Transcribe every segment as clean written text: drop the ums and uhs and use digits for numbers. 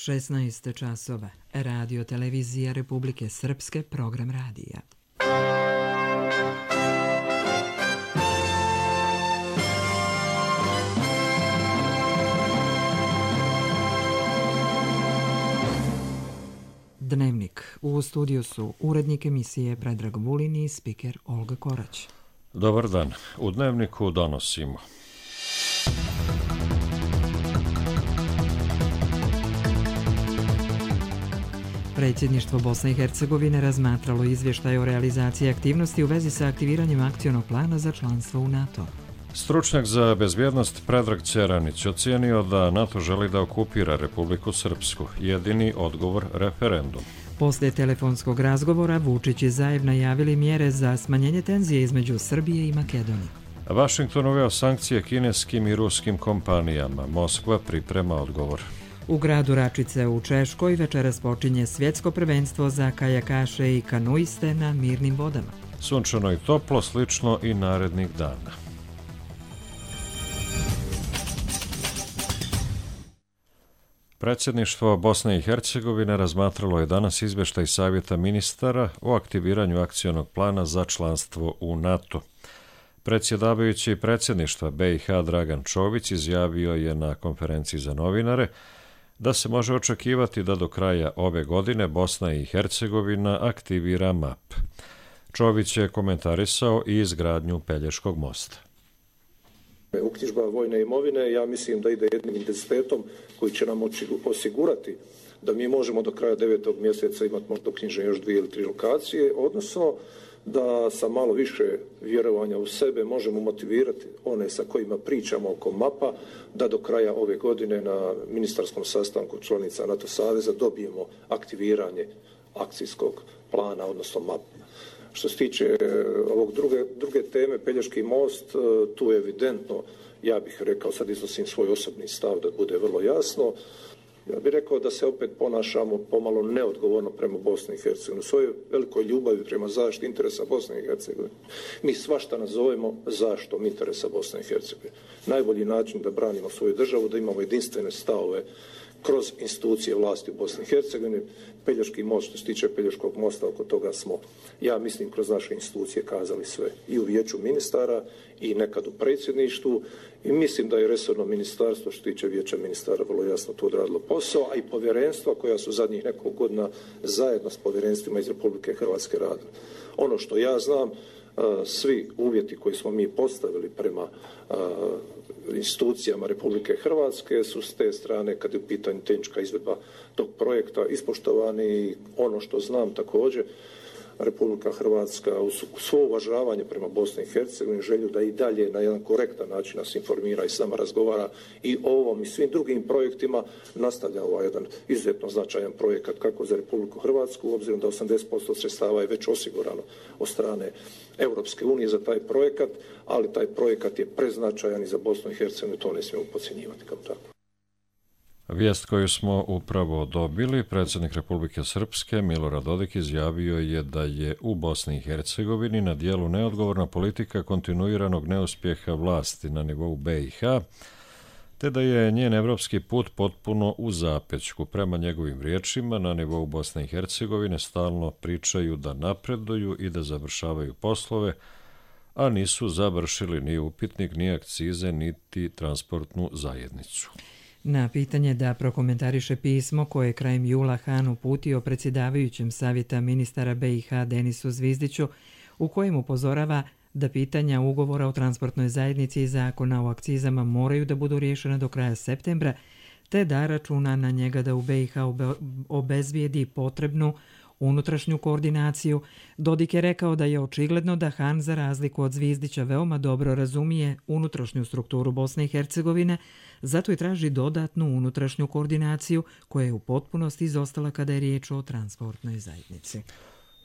16 časova. Radio televizija Republike Srpske, program radija. Dnevnik. U studiju su urednik emisije Predrag Vulin i spiker Olga Korać. Dobar dan. U Dnevniku donosimo. Predsjedništvo Bosne i Hercegovine razmatralo izvještaj o realizaciji aktivnosti u vezi sa aktiviranjem akcionog plana za članstvo u NATO. Stručnjak za bezbjednost Predrag Ćeranić ocijenio da NATO želi da okupira Republiku Srpsku. Jedini odgovor referendum. Poslije telefonskog razgovora Vučić i Zajev najavili mjere za smanjenje tenzije između Srbije i Makedonije. Vašington uveo sankcije kineskim i ruskim kompanijama. Moskva priprema odgovor. U gradu Račice u Češkoj večeras počinje svjetsko prvenstvo za kajakaše i kanuiste na mirnim vodama. Sunčano i toplo, slično i narednih dana. Predsjedništvo Bosne i Hercegovine razmatralo je danas izvještaj Savjeta ministara o aktiviranju akcionog plana za članstvo u NATO. Predsjedavajući predsjedništva BiH Dragan Čović izjavio je na konferenciji za novinare da se može očekivati da do kraja ove godine Bosna i Hercegovina aktivira MAP. Čović je komentarisao i izgradnju Pelješkog mosta. Uknjižba vojne imovine, ja mislim da ide jednim intenzitetom koji će nam osigurati da mi možemo do kraja 9. mjeseca imati možda uknjižene još 2 ili 3 lokacije, odnosno da sa malo više vjerovanja u sebe možemo motivirati one sa kojima pričamo oko MAP-a da do kraja ove godine na ministarskom sastanku članica NATO saveza dobijemo aktiviranje akcijskog plana, odnosno MAP-a. Što se tiče ovog druge teme, Pelješki most, tu je evidentno, ja bih rekao, sad iznosim svoj osobni stav da bude vrlo jasno, ja bih rekao da se opet ponašamo pomalo neodgovorno prema Bosni i Hercegovini. U svojoj velikoj ljubavi prema zaštiti interesa Bosne i Hercegovine mi svašta nazovemo zaštitom interesa Bosne i Hercegovine. Najbolji način da branimo svoju državu, da imamo jedinstvene stavove kroz institucije vlasti u Bosni i Hercegovini. Pelješki most, što se tiče Pelješkog mosta, oko toga smo, ja mislim, kroz naše institucije kazali sve. I u vijeću ministara i nekad u predsjedništvu. I mislim da je resorno ministarstvo, što se tiče vijeća ministara, vrlo jasno to odradilo posao, a i povjerenstva koja su zadnjih nekoliko godina zajedno s povjerenstvima iz Republike Hrvatske radili. Ono što ja znam, svi uvjeti koji smo mi postavili prema institucijama Republike Hrvatske su s te strane, kad je u pitanju tehnička izvedba tog projekta, ispoštovani. I ono što znam također, Republika Hrvatska uz svo uvažavanje prema Bosni i Hercegovini, želju da i dalje na jedan korektan način nas informira i sama razgovara i o ovom i svim drugim projektima, nastavlja ovaj jedan izuzetno značajan projekat kako za Republiku Hrvatsku, obzirom da 80% sredstava je već osigurano od strane Europske unije za taj projekat, ali taj projekat je preznačajan i za Bosnu i Hercegovinu, to ne smijemo podcjenjivati kao tako. Vijest koju smo upravo dobili, predsjednik Republike Srpske Milorad Dodik izjavio je da je u Bosni i Hercegovini na dijelu neodgovorna politika kontinuiranog neuspjeha vlasti na nivou BiH, te da je njen evropski put potpuno u zapećku. Prema njegovim riječima, na nivou Bosne i Hercegovine stalno pričaju da napreduju i da završavaju poslove, a nisu završili ni upitnik, ni akcize, niti transportnu zajednicu. Na pitanje da prokomentariše pismo koje je krajem jula Han uputio predsjedavajućem Savjeta ministara BiH Denisu Zvizdiću, u kojem upozorava da pitanja ugovora o transportnoj zajednici i zakona o akcizama moraju da budu riješena do kraja septembra, te da računa na njega da u BiH obezbijedi potrebnu unutrašnju koordinaciju, Dodik je rekao da je očigledno da Han, za razliku od Zvizdića, veoma dobro razumije unutrašnju strukturu Bosne i Hercegovine, zato i traži dodatnu unutrašnju koordinaciju koja je u potpunosti izostala kada je riječ o transportnoj zajednici.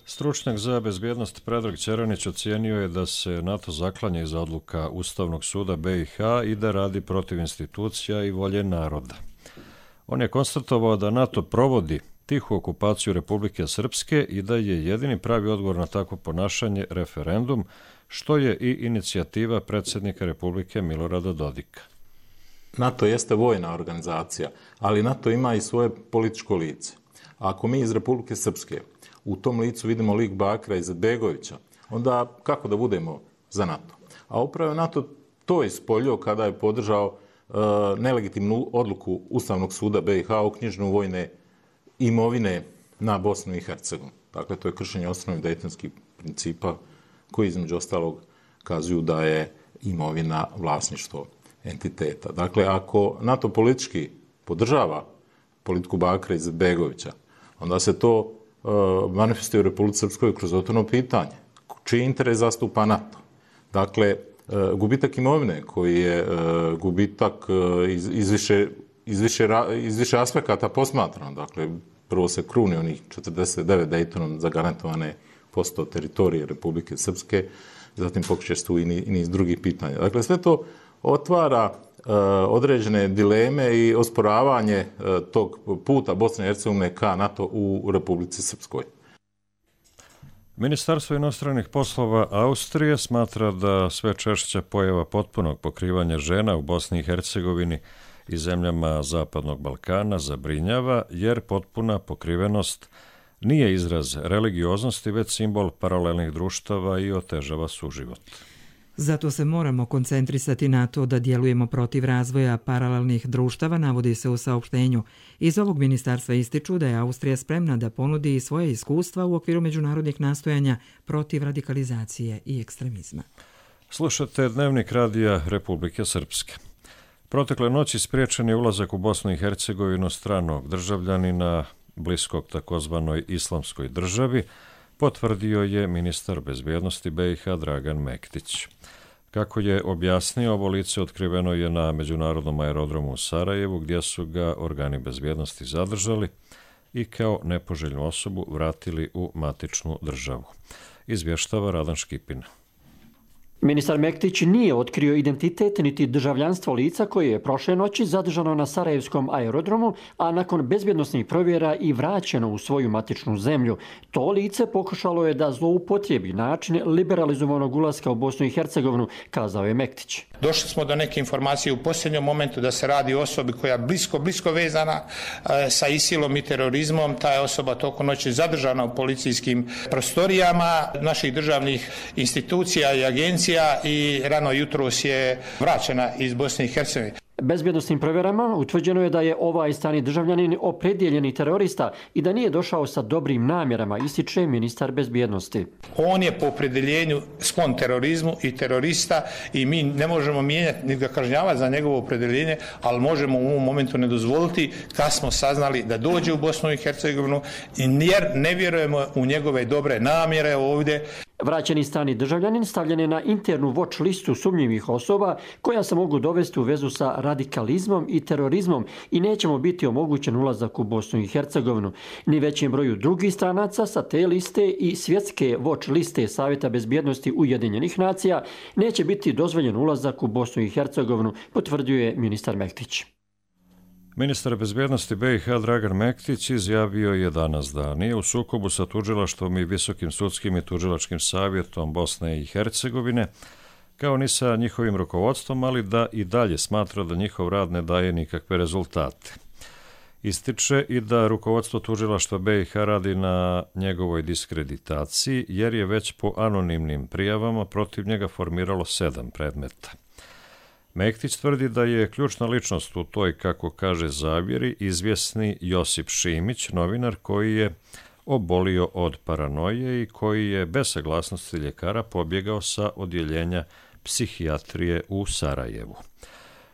Stručnjak za bezbjednost Predrag Ćeranić ocijenio je da se NATO zaklanja iza odluka Ustavnog suda BiH i da radi protiv institucija i volje naroda. On je konstatovao da NATO provodi tihu okupaciju Republike Srpske i da je jedini pravi odgovor na takvo ponašanje referendum, što je i inicijativa predsjednika Republike Milorada Dodika. NATO jeste vojna organizacija, ali NATO ima i svoje političko lice. A ako mi iz Republike Srpske u tom licu vidimo lik Bakira Izetbegovića, onda kako da budemo za NATO? A upravo je NATO to ispoljio kada je podržao nelegitimnu odluku Ustavnog suda BiH o uknjiženju vojne imovine na Bosnu i Hercegovinu. Dakle, to je kršenje osnovnih dejtonskih principa koji između ostalog kazuju da je imovina vlasništvo entiteta. Dakle, ako NATO politički podržava politiku Bakira Izetbegovića, onda se to manifestuje u Republici Srpskoj kroz otvoreno pitanje. Čiji interes zastupa NATO? Dakle, gubitak imovine koji je gubitak iz više aspekata posmatrano. Dakle, prvo se kruni onih 49 Dejtonom zagarantovane posto teritorije Republike Srpske, zatim pokreće se tu i niz drugih pitanja. Dakle, sve to otvara određene dileme i osporavanje tog puta Bosne i Hercegovine ka NATO u Republici Srpskoj. Ministarstvo inostranih poslova Austrije smatra da sve češća pojava potpunog pokrivanja žena u Bosni i Hercegovini i zemljama Zapadnog Balkana zabrinjava, jer potpuna pokrivenost nije izraz religioznosti, već simbol paralelnih društava i otežava suživot. Zato se moramo koncentrisati na to da djelujemo protiv razvoja paralelnih društava, navodi se u saopštenju. Iz ovog ministarstva ističu da je Austrija spremna da ponudi svoje iskustva u okviru međunarodnih nastojanja protiv radikalizacije i ekstremizma. Slušate Dnevnik radija Republike Srpske. Protekle noći spriječen je ulazak u Bosnu i Hercegovinu stranog državljanina bliskog takozvanoj islamskoj državi, potvrdio je ministar bezbjednosti BiH Dragan Mektić. Kako je objasnio, ovo lice otkriveno je na međunarodnom aerodromu u Sarajevu, gdje su ga organi bezbjednosti zadržali i kao nepoželjnu osobu vratili u matičnu državu. Izvještava Radan Škipin. Ministar Mektić nije otkrio identitet niti državljanstvo lica koje je prošle noći zadržano na Sarajevskom aerodromu, a nakon bezbjednosnih provjera i vraćeno u svoju matičnu zemlju. To lice pokušalo je da zloupotrijebi način liberalizovanog ulaska u Bosnu i Hercegovinu, kazao je Mektić. Došli smo do neke informacije u posljednjem momentu da se radi o osobi koja je blisko vezana sa ISIL-om i terorizmom. Ta je osoba tokom noći zadržana u policijskim prostorijama naših državnih institucija i agencija i rano jutros je vraćena iz Bosne i Hercegovine. Bezbjednosnim provjerama utvrđeno je da je ovaj strani državljanin opredjeljeni terorista i da nije došao sa dobrim namjerama, ističe ministar bezbjednosti. On je po opredjeljenju sklon terorizmu i terorista i mi ne možemo mijenjati ni ga kažnjavati za njegovo opredjeljenje, ali možemo u ovom momentu ne dozvoliti kad smo saznali da dođe u Bosnu i Hercegovinu jer ne vjerujemo u njegove dobre namjere ovdje. Vraćeni strani državljanin stavljen je na internu watch listu sumnjivih osoba koja se mogu dovesti u vezu sa radikalizmom i terorizmom i neće mu biti omogućen ulazak u Bosnu i Hercegovinu. Ni većem broju drugih stranaca sa te liste i svjetske watch liste Savjeta bezbjednosti Ujedinjenih nacija neće biti dozvoljen ulazak u Bosnu i Hercegovinu, potvrdio je ministar Mektić. Ministar bezbjednosti BiH Dragan Mektić izjavio je danas da nije u sukobu sa tužilaštvom i Visokim sudskim i tužilačkim savjetom Bosne i Hercegovine, kao ni sa njihovim rukovodstvom, ali da i dalje smatra da njihov rad ne daje nikakve rezultate. Ističe i da rukovodstvo tužilaštva BiH radi na njegovoj diskreditaciji, jer je već po anonimnim prijavama protiv njega formiralo 7 predmeta. Mektić tvrdi da je ključna ličnost u toj, kako kaže, zavjeri izvjesni Josip Šimić, novinar koji je obolio od paranoje i koji je bez saglasnosti ljekara pobjegao sa odjeljenja psihijatrije u Sarajevu.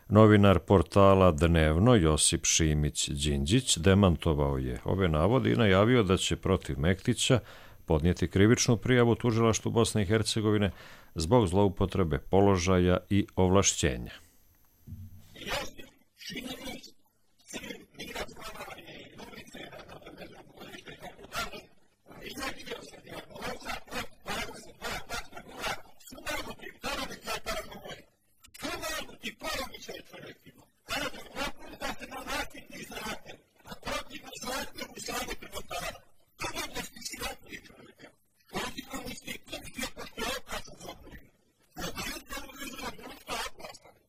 Novinar portala Dnevno Josip Šimić Đinđić demantovao je ove navode i najavio da će protiv Mektića podnijeti krivičnu prijavu tužilaštvu Bosne i Hercegovine zbog zloupotrebe položaja i ovlašćenja.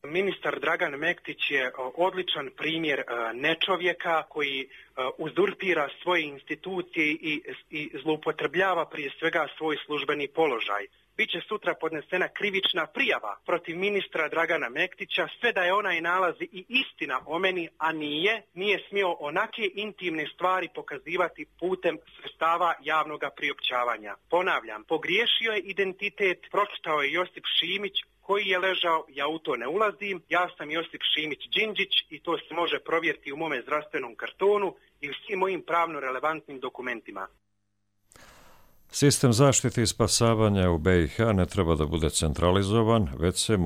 Ministar Dragan Mektić je odličan primjer nečovjeka koji uzurpira svoje institucije i zloupotrebljava prije svega svoj službeni položaj. Biće sutra podnesena krivična prijava protiv ministra Dragana Mektića, sve da je onaj nalazi i istina o meni, a nije smio onake intimne stvari pokazivati putem sredstava javnog priopćavanja. Ponavljam, pogriješio je identitet, pročitao je Josip Šimić, koji je ležao, ja u to ne ulazim, ja sam Josip Šimić Đinđić i to se može provjeriti u mome zdravstvenom kartonu i u svim mojim pravno relevantnim dokumentima. Sistem zaštite i spasavanja u BiH ne treba da bude centralizovan, već se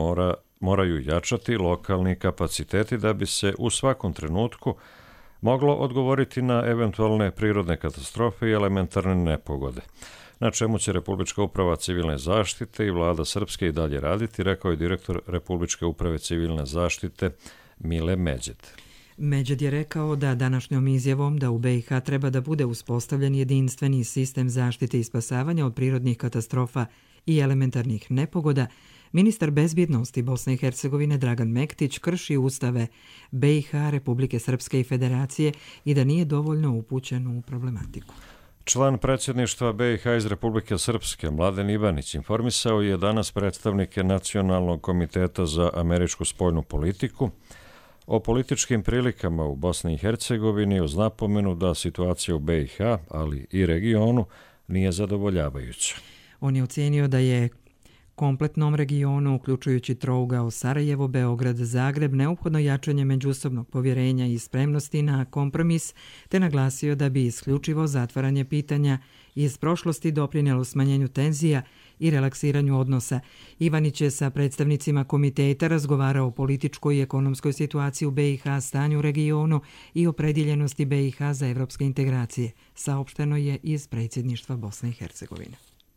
moraju jačati lokalni kapaciteti da bi se u svakom trenutku moglo odgovoriti na eventualne prirodne katastrofe i elementarne nepogode, na čemu će Republička uprava civilne zaštite i vlada Srpske i dalje raditi, rekao je direktor Republičke uprave civilne zaštite Mile Međed. Međed je rekao da današnjom izjavom da u BiH treba da bude uspostavljen jedinstveni sistem zaštite i spasavanja od prirodnih katastrofa i elementarnih nepogoda, ministar bezbjednosti Bosne i Hercegovine Dragan Mektić krši ustave BiH, Republike Srpske i Federacije i da nije dovoljno upućen u problematiku. Član predsjedništva BiH iz Republike Srpske, Mladen Ivanić, informisao je danas predstavnike Nacionalnog komiteta za američku spoljnu politiku o političkim prilikama u Bosni i Hercegovini uz napomenu da situacija u BiH, ali i regionu, nije zadovoljavajuća. On je ocenio da je kompletnom regionu, uključujući trougao Sarajevo, Beograd, Zagreb, neophodno jačanje međusobnog povjerenja i spremnosti na kompromis, te naglasio da bi isključivo zatvaranje pitanja iz prošlosti doprinijelo smanjenju tenzija i relaksiranju odnosa. Ivanić je sa predstavnicima komiteta razgovarao o političkoj i ekonomskoj situaciji u BiH, stanju u regionu i opredjeljenosti BiH za evropske integracije, saopšteno je iz predsjedništva Bosne i Hercegovine.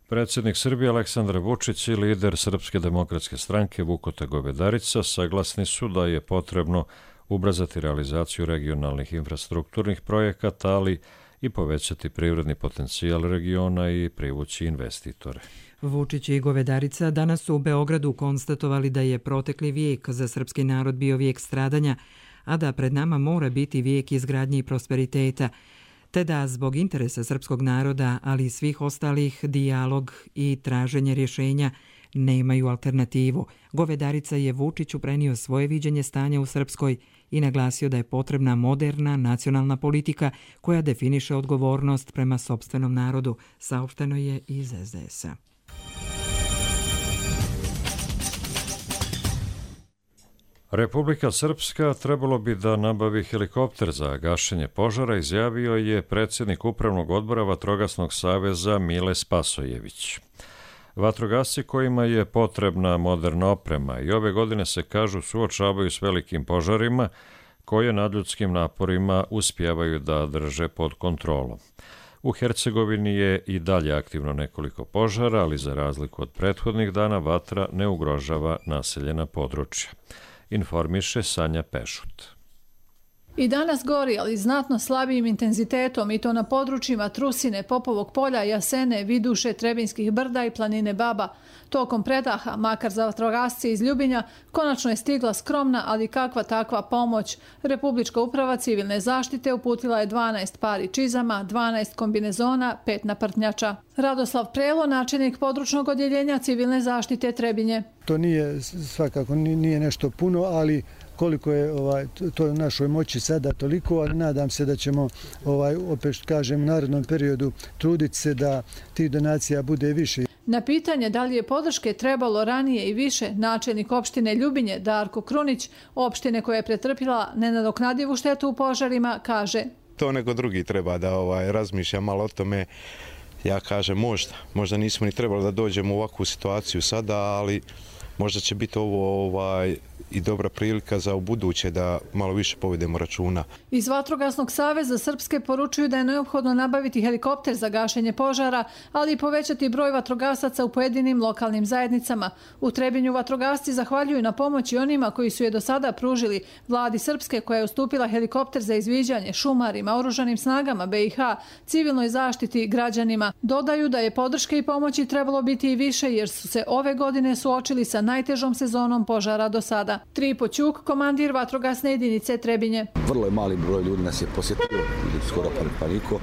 Predsjednik Srbije Aleksandar Vučić i lider Srpske demokratske stranke Vukota Govedarica saglasni su da je potrebno ubrzati realizaciju regionalnih infrastrukturnih projekata, ali i povećati privredni potencijal regiona i privući investitore. Vučić i Govedarica danas su u Beogradu konstatovali da je protekli vijek za srpski narod bio vijek stradanja, a da pred nama mora biti vijek izgradnje i prosperiteta, te da zbog interesa srpskog naroda, ali i svih ostalih, dijalog i traženje rješenja nemaju alternativu. Govedarica je Vučiću prenio svoje viđenje stanja u Srpskoj i naglasio da je potrebna moderna nacionalna politika koja definiše odgovornost prema sopstvenom narodu, saopšteno je iz SDS-a. Republika Srpska trebalo bi da nabavi helikopter za gašenje požara, izjavio je predsjednik Upravnog odbora Vatrogasnog saveza Mile Spasojević. Vatrogasci kojima je potrebna moderna oprema i ove godine se kažu suočavaju s velikim požarima koje nadljudskim naporima uspijevaju da drže pod kontrolom. U Hercegovini je i dalje aktivno nekoliko požara, ali za razliku od prethodnih dana vatra ne ugrožava naseljena područja. Informiše Sanja Pešut. I danas gori, ali znatno slabijim intenzitetom, i to na područjima Trusine, Popovog polja, Jasene, Viduše, Trebinskih brda i planine Baba. Tokom predaha, makar za vatrogasce iz Ljubinja, konačno je stigla skromna, ali kakva takva pomoć. Republička uprava civilne zaštite uputila je 12 pari čizama, 12 kombinezona, 5 naprtnjača. Radoslav Prelo, načelnik područnog odjeljenja civilne zaštite Trebinje. To nije svakako nije nešto puno, ali koliko je to u našoj moći sada toliko, ali nadam se da ćemo opet kažem u narednom periodu truditi se da tih donacija bude više. Na pitanje da li je podrške trebalo ranije i više, načelnik opštine Ljubinje Darko Krunić, opštine koja je pretrpila nenadoknadivu štetu u požarima, kaže: To neko drugi treba da razmišlja malo o tome. Ja kažem možda nismo ni trebali da dođemo u ovakvu situaciju sada, ali možda će biti ovo i dobra prilika za ubuduće da malo više povedemo računa. Iz Vatrogasnog saveza Srpske poručuju da je neophodno nabaviti helikopter za gašenje požara, ali i povećati broj vatrogasaca u pojedinim lokalnim zajednicama. U Trebinju vatrogasci zahvaljuju na pomoći onima koji su je do sada pružili vladi Srpske, koja je ustupila helikopter za izviđanje, šumarima, oružanim snagama BiH, civilnoj zaštiti, građanima. Dodaju da je podrške i pomoći trebalo biti i više, jer su se ove godine suočili sa najtežom sezonom požara do sada. Tripo Ćuk, komandir vatrogasne jedinice Trebinje. Vrlo je mali broj ljudi nas je posjetio, skoro pa niko.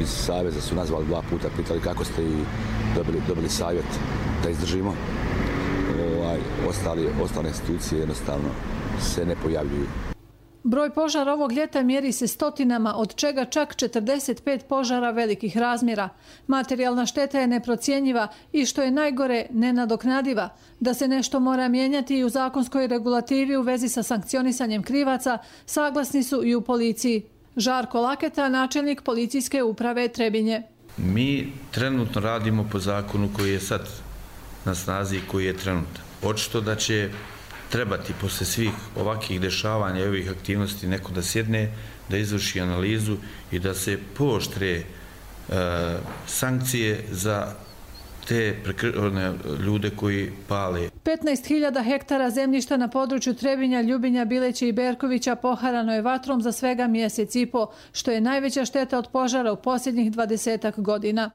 Iz Saveza su nazvali 2 puta, pitali kako ste i dobili savjet da izdržimo. Ostale institucije jednostavno se ne pojavljuju. Broj požara ovog ljeta mjeri se stotinama, od čega čak 45 požara velikih razmjera. Materijalna šteta je neprocjenjiva i, što je najgore, nenadoknadiva. Da se nešto mora mijenjati i u zakonskoj regulativi u vezi sa sankcionisanjem krivaca, saglasni su i u policiji. Žarko Laketa, načelnik policijske uprave Trebinje. Mi trenutno radimo po zakonu koji je sad na snazi i koji je trenutan. Očito da će trebati posle svih ovakvih dešavanja i ovih aktivnosti neko da sjedne, da izvrši analizu i da se pooštre sankcije za te ljude koji pale. 15.000 hektara zemljišta na području Trebinja, Ljubinja, Bileća i Berkovića poharano je vatrom za svega mjesec i po, što je najveća šteta od požara u posljednjih 20 godina.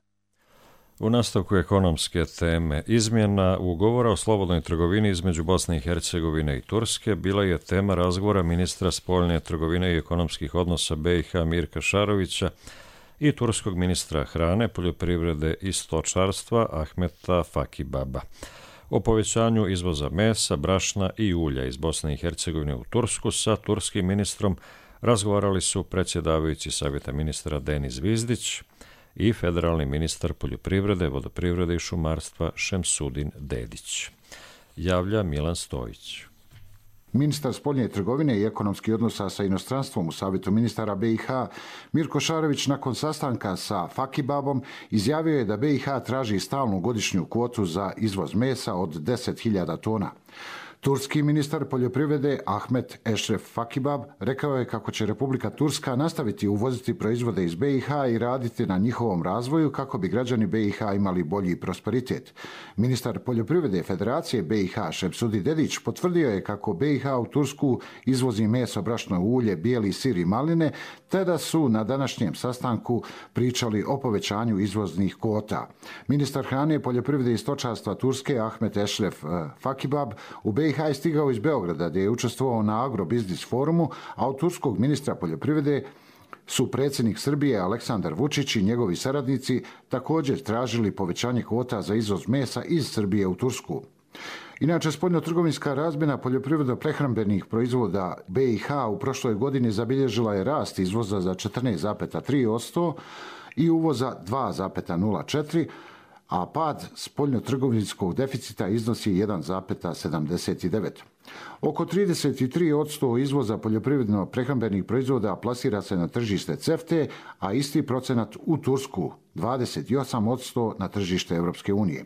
U nastavku ekonomske teme, izmjena ugovora o slobodnoj trgovini između Bosne i Hercegovine i Turske bila je tema razgovora ministra spoljne trgovine i ekonomskih odnosa BiH Mirka Šarovića i turskog ministra hrane, poljoprivrede i stočarstva Ahmeta Fakibaba. O povećanju izvoza mesa, brašna i ulja iz Bosne i Hercegovine u Tursku sa turskim ministrom razgovarali su predsjedavajući savjeta ministra Denis Zvizdić i federalni ministar poljoprivrede, vodoprivrede i šumarstva Šemsudin Dedić. Javlja Milan Stojić. Ministar spoljne trgovine i ekonomskih odnosa sa inostranstvom u Savjetu ministara BiH Mirko Šarović nakon sastanka sa Fakibabom izjavio je da BiH traži stalnu godišnju kvotu za izvoz mesa od 10.000 tona. Turski ministar poljoprivrede Ahmet Eşref Fakibab rekao je kako će Republika Turska nastaviti uvoziti proizvode iz BiH i raditi na njihovom razvoju kako bi građani BiH imali bolji prosperitet. Ministar poljoprivrede Federacije BiH Šemsudin Dedić potvrdio je kako BiH u Tursku izvozi meso, brašno, ulje, bijeli sir i maline, te da su na današnjem sastanku pričali o povećanju izvoznih kvota. Ministar hrane, poljoprivrede i stočarstva Turske Ahmet Eşref Fakibab u BiH je stigao iz Beograda gdje je učestvovao na agrobiznis forumu, a od turskog ministra poljoprivrede su predsjednik Srbije Aleksandar Vučić i njegovi saradnici također tražili povećanje kvota za izvoz mesa iz Srbije u Tursku. Inače, spoljnotrgovinska razmjena poljoprivredno-prehrambenih proizvoda BiH u prošloj godini zabilježila je rast izvoza za 14,3% i uvoza 2,04%, a pad spoljnotrgovinskog deficita iznosi 1,79%. Oko 33% izvoza poljoprivredno-prehrambenih proizvoda plasira se na tržište CEFTA, a isti procenat u Tursku, 28% na tržište Europske unije.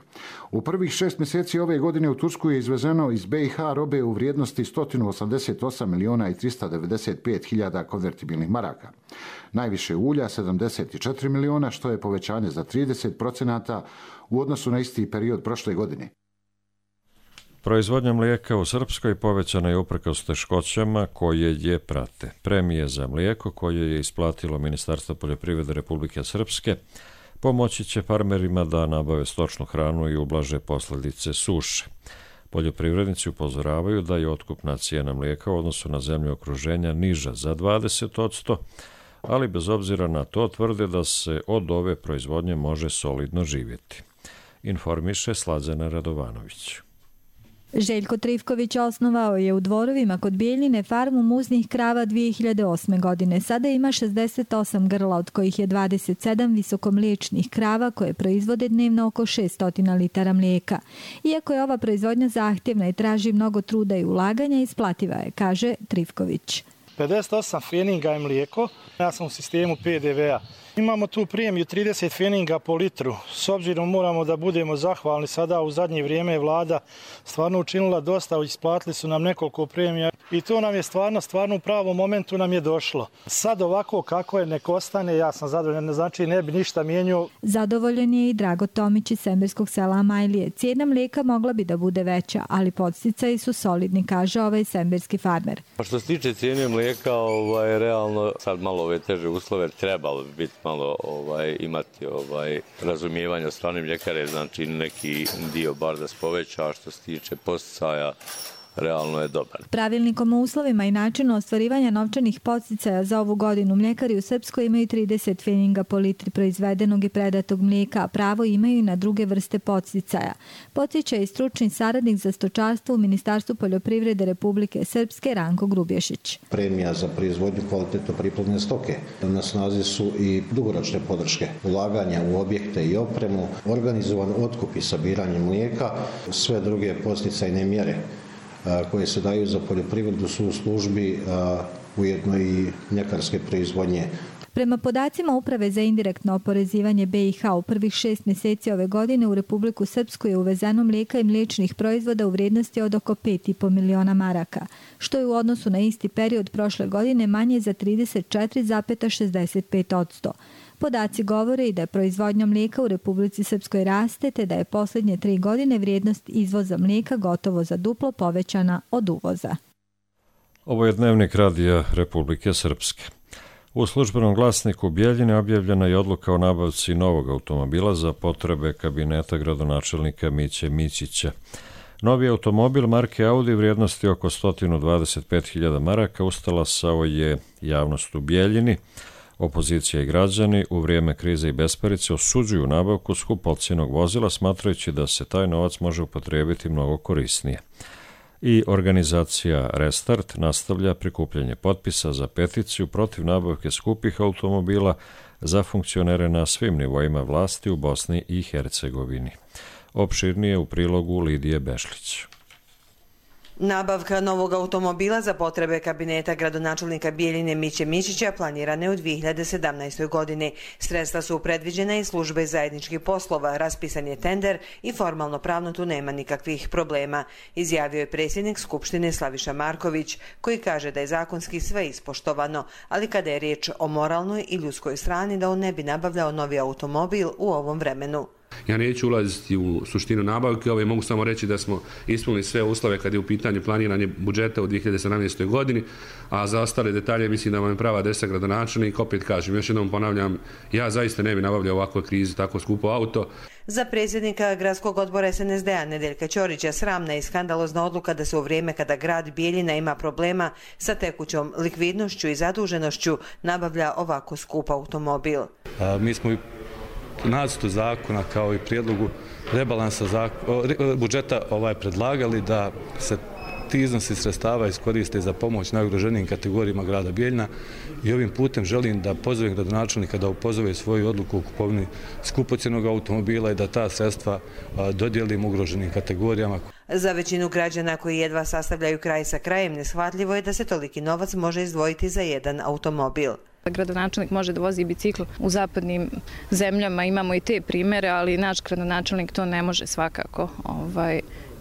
U prvih 6 mjeseci ove godine u Tursku je izvezeno iz BiH robe u vrijednosti 188 miliona i 395 hiljada konvertibilnih maraka. Najviše ulja 74 miliona, što je povećanje za 30% u odnosu na isti period prošle godine. Proizvodnja mlijeka u Srpskoj povećana je uprkos teškoćama koje je prate. Premije za mlijeko koje je isplatilo Ministarstvo poljoprivrede Republike Srpske pomoći će farmerima da nabave stočnu hranu i ublaže posljedice suše. Poljoprivrednici upozoravaju da je otkupna cijena mlijeka u odnosu na zemlju okruženja niža za 20%, ali bez obzira na to tvrde da se od ove proizvodnje može solidno živjeti. Informiše Slađana Radovanović. Željko Trivković osnovao je u Dvorovima kod Bijeljine farmu muznih krava 2008. godine. Sada ima 68 grla, od kojih je 27 visokomliječnih krava koje proizvode dnevno oko 600 litara mlijeka. Iako je ova proizvodnja zahtjevna i traži mnogo truda i ulaganja, isplativa je, kaže Trivković. 58 feninga je mlijeko, ja sam u sistemu PDV-a. Imamo tu premiju 30 feninga po litru. S obzirom moramo da budemo zahvalni, sada u zadnje vrijeme je vlada stvarno učinila dosta, isplatili su nam nekoliko premija i to nam je stvarno u pravom momentu nam je došlo. Sad ovako kako je, nek ostane, ja sam zadovoljan, znači ne bi ništa mijenio. Zadovoljen je i Drago Tomić iz semberskog sela Amajlije. Cijena mlijeka mogla bi da bude veća, ali podsticaji su solidni, kaže ovaj semberski farmer. Što se tiče cijene mlijeka, realno sad malo ove teže uslove trebalo bi biti malo imati razumijevanja od strane mljekare, znači neki dio bar da se poveća, što se tiče podsticaja, realno je dobar. Pravilnikom o uslovima i načinu ostvarivanja novčanih podsticaja za ovu godinu mljekari u Srpskoj imaju 30 feninga po litri proizvedenog i predatog mlijeka, a pravo imaju i na druge vrste podsticaja. Podsjeća i stručni saradnik za stočarstvo u Ministarstvu poljoprivrede Republike Srpske Ranko Grubješić. Premija za proizvodnju kvalitetno priplodne stoke. Na snazi su i dugoročne podrške, ulaganja u objekte i opremu, organizovan otkup i sabiranje mlijeka, sve druge podsticajne mjere koje se daju za poljoprivredu su u službi ujedno i mljekarske proizvodnje. Prema podacima Uprave za indirektno oporezivanje BiH u prvih 6 mjeseci ove godine u Republiku Srpsku je uvezeno mlijeka i mliječnih proizvoda u vrijednosti od oko 5,5 miliona maraka, što je u odnosu na isti period prošle godine manje za 34,65%. Podaci govore i da je proizvodnja mlijeka u Republici Srpskoj raste, te da je posljednje 3 godine vrijednost izvoza mlijeka gotovo za duplo povećana od uvoza. Ovo je dnevnik Radija Republike Srpske. U službenom glasniku Bjeljine objavljena je odluka o nabavci novog automobila za potrebe kabineta gradonačelnika Miće Mićića. Novi automobil marke Audi vrijednosti oko 125.000 maraka ustalasao je javnost u Bjeljini. Opozicija i građani u vrijeme krize i besparice osuđuju nabavku skupocjenog vozila, smatrajući da se taj novac može upotrijebiti mnogo korisnije. I organizacija Restart nastavlja prikupljanje potpisa za peticiju protiv nabavke skupih automobila za funkcionere na svim nivoima vlasti u Bosni i Hercegovini. Opširnije u prilogu Lidije Bešlić. Nabavka novog automobila za potrebe kabineta gradonačelnika Bjeljine Miće Mićića planirana je u 2017. godini. Sredstva su predviđena iz službe zajedničkih poslova, raspisan je tender i formalno pravno tu nema nikakvih problema, izjavio je predsjednik Skupštine Slaviša Marković, koji kaže da je zakonski sve ispoštovano, ali kada je riječ o moralnoj i ljudskoj strani da on ne bi nabavljao novi automobil u ovom vremenu. Ja neću ulaziti u suštinu nabavke, mogu samo reći da smo ispunili sve uslove kad je u pitanju planiranje budžeta u 2017. godini, a za ostale detalje mislim da vam je prava adresa gradonačelnik. Opet kažem, još jednom ponavljam, ja zaista ne bi nabavljao u ovakvoj krizi tako skupo auto. Za predsjednika gradskog odbora SNSD-a Nedeljka Ćorića sramna i skandalozna odluka da se u vrijeme kada grad Bjeljina ima problema sa tekućom likvidnošću i zaduženošću nabavlja ovako skup automobil. Mi smo nacrtu zakona kao i prijedlogu rebalansa budžeta predlagali da se ti iznosi sredstava iskoriste za pomoć najugroženijim kategorijama grada Bjeljina i ovim putem želim da pozovem gradonačelnika da upozove svoju odluku o kupovini skupocjenog automobila i da ta sredstva dodijelimo ugroženim kategorijama. Za većinu građana koji jedva sastavljaju kraj sa krajem neshvatljivo je da se toliki novac može izdvojiti za jedan automobil. Gradonačelnik može da vozi bicikl u zapadnim zemljama, imamo i te primere, ali naš gradonačelnik to ne može svakako,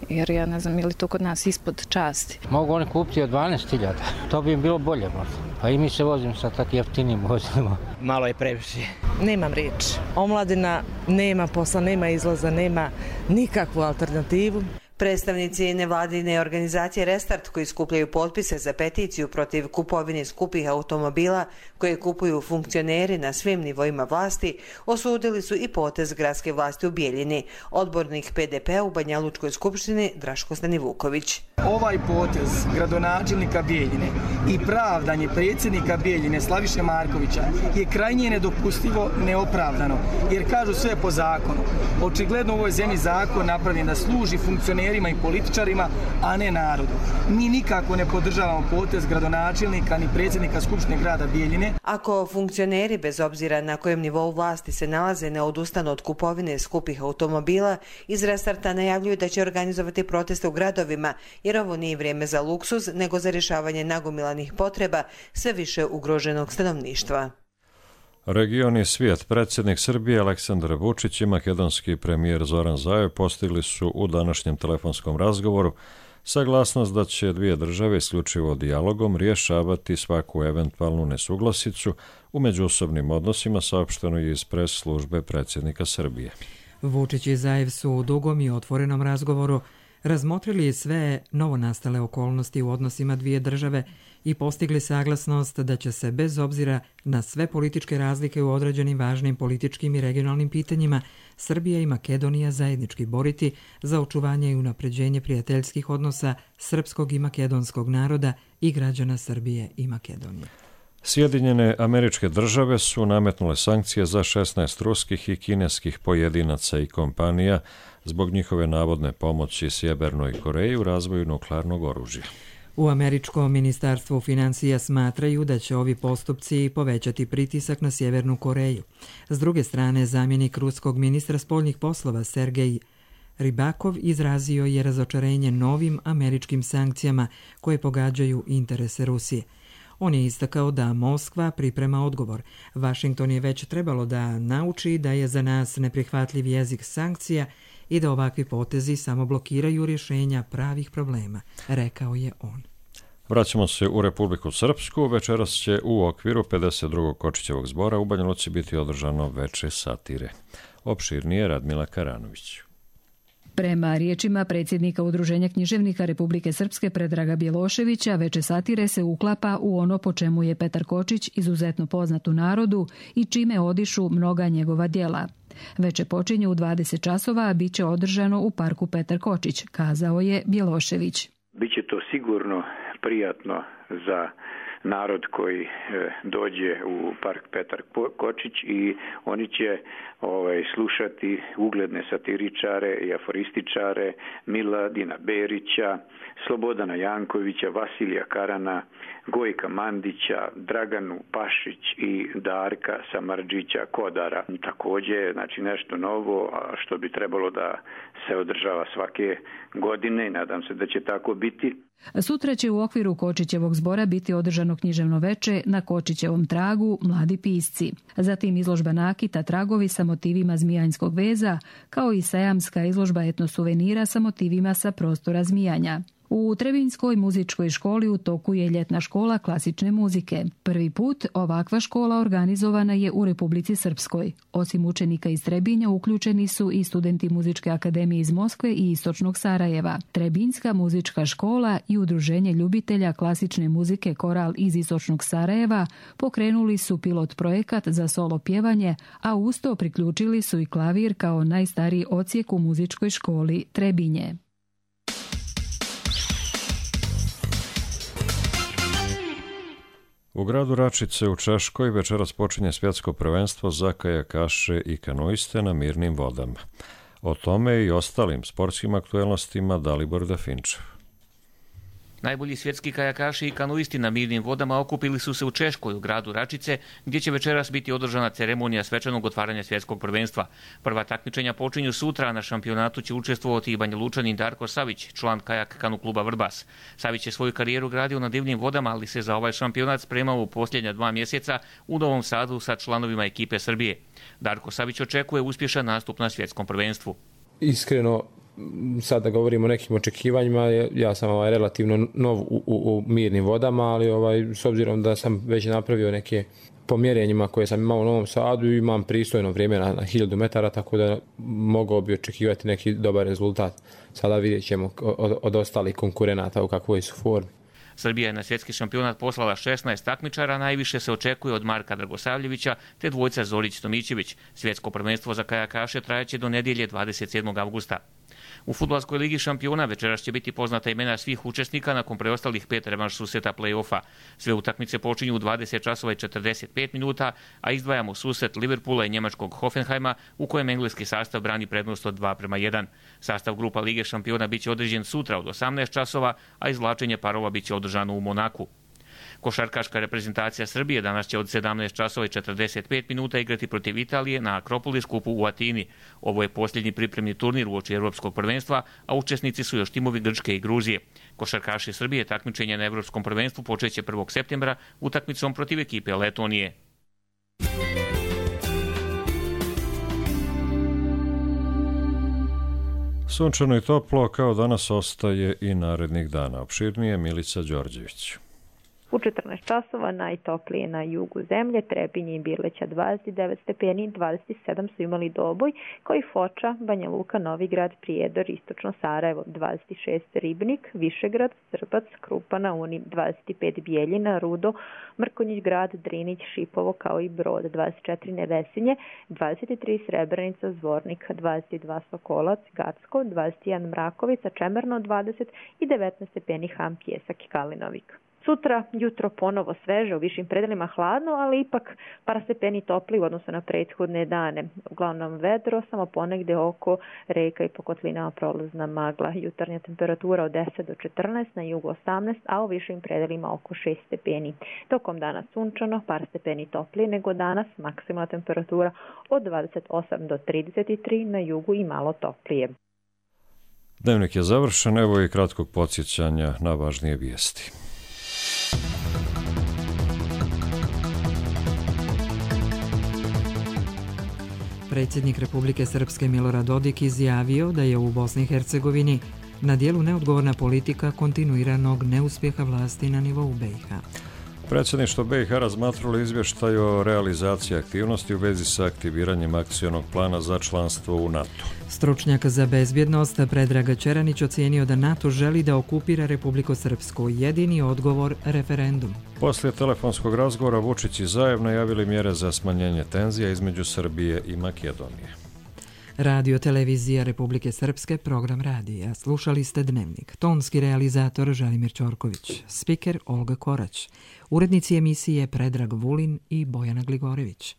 jer ja ne znam, je li to kod nas ispod časti. Mogu oni kupiti od 12.000, to bi im bilo bolje možda, pa i mi se vozimo sa takvim jeftinim vozilima. Malo je previše. Nemam riječ. Omladina nema posla, nema izlaza, nema nikakvu alternativu. Predstavnici nevladine organizacije Restart, koji skupljaju potpise za peticiju protiv kupovine skupih automobila koje kupuju funkcioneri na svim nivoima vlasti, osudili su i potez gradske vlasti u Bjeljini. Odbornik PDP-a u Banja Lučkoj skupštini Draško Stanivuković. Ovaj potez gradonačelnika Bjeljine i pravdanje predsjednika Bjeljine Slaviše Markovića je krajnje nedopustivo, neopravdano, jer kažu sve po zakonu. Očigledno u ovoj zemlji zakon napravljen da služi funkcionerima i političarima, a ne narodu. Mi nikako ne podržavamo potez gradonačelnika ni predsjednika Skupštine grada Bjeljine. Ako funkcioneri, bez obzira na kojem nivou vlasti se nalaze, ne odustanu od kupovine skupih automobila, iz Restarta najavljuju da će organizovati proteste u gradovima, jer ovo nije vrijeme za luksuz, nego za rješavanje nagomilanih potreba sve više ugroženog stanovništva. Region i svijet, predsjednik Srbije Aleksandar Vučić i makedonski premijer Zoran Zaev postigli su u današnjem telefonskom razgovoru saglasnost da će dvije države isključivo dijalogom rješavati svaku eventualnu nesuglasicu u međusobnim odnosima, saopšteno je iz pres službe predsjednika Srbije. Vučić i Zaev su u dugom i otvorenom razgovoru razmotrili sve novonastale okolnosti u odnosima dvije države i postigli saglasnost da će se bez obzira na sve političke razlike u određenim važnim političkim i regionalnim pitanjima Srbija i Makedonija zajednički boriti za očuvanje i unapređenje prijateljskih odnosa srpskog i makedonskog naroda i građana Srbije i Makedonije. Sjedinjene Američke Države su nametnule sankcije za 16 ruskih i kineskih pojedinaca i kompanija zbog njihove navodne pomoći Sjevernoj Koreji u razvoju nuklearnog oružja. U američkom ministarstvu financija smatraju da će ovi postupci povećati pritisak na Sjevernu Koreju. S druge strane, zamjenik ruskog ministra spoljnih poslova Sergej Ribakov izrazio je razočarenje novim američkim sankcijama koje pogađaju interese Rusije. On je istakao da Moskva priprema odgovor. Washington je već trebalo da nauči da je za nas neprihvatljiv jezik sankcija i da ovakvi potezi samo blokiraju rješenja pravih problema, rekao je on. Vraćamo se u Republiku Srpsku. Večeras će u okviru 52. Kočićevog zbora u Banja Luci biti održano veče satire. Opširnije Radmila Karanović. Prema riječima predsjednika Udruženja književnika Republike Srpske Predraga Bjeloševića, veče satire se uklapa u ono po čemu je Petar Kočić izuzetno poznat u narodu i čime odišu mnoga njegova djela. Veče počinje u 20 časova, a bit će održano u parku Petar Kočić, kazao je Bjelošević. Biće to sigurno prijatno za narod koji dođe u park Petar Kočić i oni će slušati ugledne satiričare i aforističare Miladina Berića, Slobodana Jankovića, Vasilija Karana, Gojka Mandića, Draganu Pašić i Darka Samardžića Kodara. Također, znači nešto novo što bi trebalo da se održava svake godine i nadam se da će tako biti. Sutra će u okviru Kočićevog zbora biti održano književno veče Na Kočićevom tragu mladi pisci. Zatim izložba nakita Tragovi sa motivima zmijanjskog veza, kao i sajamska izložba etnosuvenira sa motivima sa prostora Zmijanja. U Trebinjskoj muzičkoj školi u toku je ljetna škola klasične muzike. Prvi put ovakva škola organizovana je u Republici Srpskoj. Osim učenika iz Trebinja uključeni su i studenti Muzičke akademije iz Moskve i Istočnog Sarajeva. Trebinjska muzička škola i Udruženje ljubitelja klasične muzike Koral iz Istočnog Sarajeva pokrenuli su pilot projekat za solo pjevanje, a uz to priključili su i klavir kao najstariji odsjek u muzičkoj školi Trebinje. U gradu Račice u Češkoj večeras počinje svjetsko prvenstvo za kajakaše i kanoiste na mirnim vodama. O tome i ostalim sportskim aktuelnostima Dalibor Dafinčev. Najbolji svjetski kajakaši i kanuisti na mirnim vodama okupili su se u Češkoj u gradu Račice, gdje će večeras biti održana ceremonija svečanog otvaranja svjetskog prvenstva. Prva takmičenja počinju sutra, a na šampionatu će učestvovati i Banja Lučanin Darko Savić, član kajak kanu kluba Vrbas. Savić je svoju karijeru gradio na divnim vodama, ali se za ovaj šampionat spremao u posljednja 2 mjeseca u Novom Sadu sa članovima ekipe Srbije. Darko Savić očekuje uspješan nastup na svjetskom prvenstvu. Iskreno, sad da govorimo o nekim očekivanjima, ja sam relativno nov u mirnim vodama, ali s obzirom da sam već napravio neke pomjerenjima koje sam imao u Novom Sadu i imam pristojno vrijeme na 1000 metara, tako da mogao bi očekivati neki dobar rezultat. Sada vidjet ćemo od ostalih konkurenata u kakvoj su formi. Srbija je na svjetski šampionat poslala 16 takmičara, najviše se očekuje od Marka Dragosavljevića te dvojca Zorić-Tomićević. Svjetsko prvenstvo za kajakaše trajaće do nedjelje 27. avgusta. U fudbalskoj ligi šampiona večeras će biti poznata imena svih učesnika nakon preostalih 5 revanš susreta play-offa. Sve utakmice počinju u 20 časova i 45 minuta, a izdvajamo susret Liverpoola i njemačkog Hoffenheima u kojem engleski sastav brani prednost od 2:1. Sastav grupa Lige šampiona biće određen sutra od 18 časova, a izvlačenje parova biće održano u Monaku. Košarkaška reprezentacija Srbije danas će od 17 časova i 45 minuta igrati protiv Italije na Akropolis kupu u Atini. Ovo je posljednji pripremni turnir uoči Europskog prvenstva, a učesnici su još timovi Grčke i Gruzije. Košarkaši Srbije takmičenje na Europskom prvenstvu počeće 1. septembra utakmicom protiv ekipe Letonije. Sunčano i toplo kao danas ostaje i narednih dana. Opširnije Milica Đorđević. U 14 časova najtoplije na jugu zemlje, Trebinje i Birleća 29 stepeni, 27 su imali Doboj, kao i Foča, Banja Luka, Novigrad, Prijedor, Istočno Sarajevo 26, Ribnik, Višegrad, Srbac, Krupa na Uni 25, Bijeljina, Rudo, Mrkonjić Grad, Drinić, Šipovo kao i Brod 24, Nevesinje, 23 Srebrenica, Zvornik 22, Sokolac, Gacko 21, Mrakovica, Čemerno 20 i 19 stepeni Ham, Pjesak i Kalinovik. Sutra jutro ponovo sveže, u višim predelima hladno, ali ipak par stepeni topli u odnosu na prethodne dane. Uglavnom vedro, samo ponegde oko reka i po kotlinama prolazna magla. Jutarnja temperatura od 10 do 14, na jugu 18, a u višim predelima oko 6 stepeni. Tokom dana sunčano, par stepeni toplije nego danas, maksimalna temperatura od 28 do 33, na jugu i malo toplije. Dnevnik je završen, evo i kratkog podsjećanja na važnije vijesti. Predsjednik Republike Srpske Milorad Dodik izjavio da je u Bosni i Hercegovini na dijelu neodgovorna politika kontinuiranog neuspjeha vlasti na nivou BiH. Predsjedništvo BiH razmatralo izvještaj o realizaciji aktivnosti u vezi sa aktiviranjem akcionog plana za članstvo u NATO. Stručnjak za bezbjednost Predrag Čeranić ocijenio da NATO želi da okupira Republiku Srpsku. Jedini odgovor referendum. Poslije telefonskog razgovora Vučić i Zajev najavili mjere za smanjenje tenzija između Srbije i Makedonije. Radio Televizija Republike Srpske, program radija. Slušali ste Dnevnik. Tonski realizator Želimir Ćorković. Spiker Olga Korać. Urednici emisije Predrag Vulin i Bojana Gligorević.